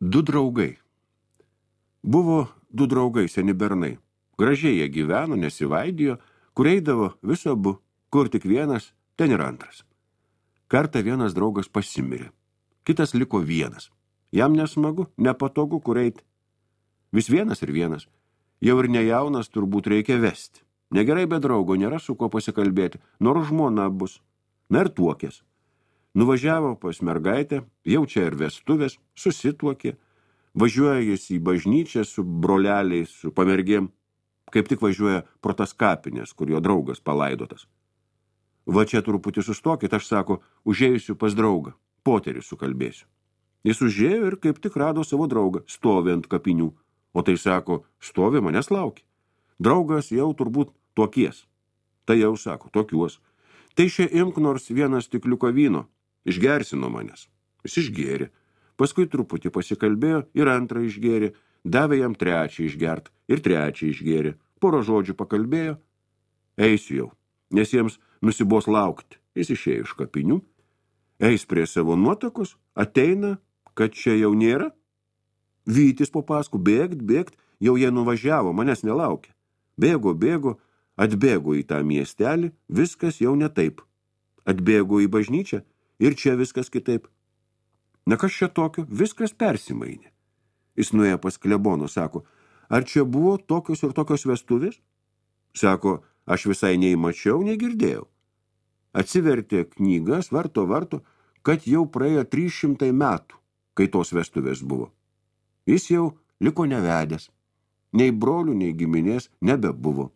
Du draugai. Buvo du draugai, seni bernai. Gražiai jie gyveno, nesivaidijo, kur eidavo viso abu, kur tik vienas, ten ir antras. Kartą vienas draugas pasimirė, kitas liko vienas. Jam nesmagu, nepatogu, kur eiti. Vis vienas ir vienas. Jau ir nejaunas turbūt reikia vesti. Negerai be draugo, nėra su kuo pasikalbėti, nors žmona bus. Na ir tuokės. Nuvažiavo pas mergaitę, jau čia ir vestuvės, susituokė. Važiuoja jis į bažnyčią su broleliais, su pamergėm. Kaip tik važiuoja pro tas kapinės, kur jo draugas palaidotas. Va čia truputį sustokit, aš sako, užėjusiu pas draugą, poterį sukalbėsiu. Jis užėjo ir kaip tik rado savo draugą, stovi ant kapinių. O tai sako, stovi, manęs laukia. Draugas jau turbūt tuokies. Tai jau sako, tokiuos. Tai šia imk nors vieną stikliuką vyno. Išgersi nuo manęs. Jis išgėrė. Paskui truputį pasikalbėjo ir antrą išgėrė. Davė jam trečią išgert ir trečią išgėrė. Porą žodžių pakalbėjo. Eisiu jau, nes jiems nusibos laukti. Jis išėjo iš kapinių. Eis prie savo nuotakos, ateina, kad čia jau nėra. Vytis po paskų, bėgt, jau jie nuvažiavo, manęs nelaukia. Bėgo, atbėgo į tą miestelį, viskas jau ne taip. Atbėgo į bažnyčią ir čia viskas kitaip. Na kas čia tokio, viskas persimainė. Jis nuėjo pas klebono, sako, ar čia buvo tokios ir tokios vestuvės? Sako, aš visai nei mačiau, nei girdėjau. Atsivertė knygas, varto, kad jau praėjo 300 metų, kai tos vestuvės buvo. Jis jau liko nevedęs. Nei brolių, nei giminės nebebuvo.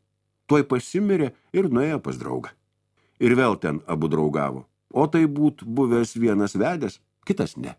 Tuoj pasimirė ir nuėjo pas draugą. Ir vėl ten abu draugavo. O tai būt buvęs vienas vedęs, kitas ne.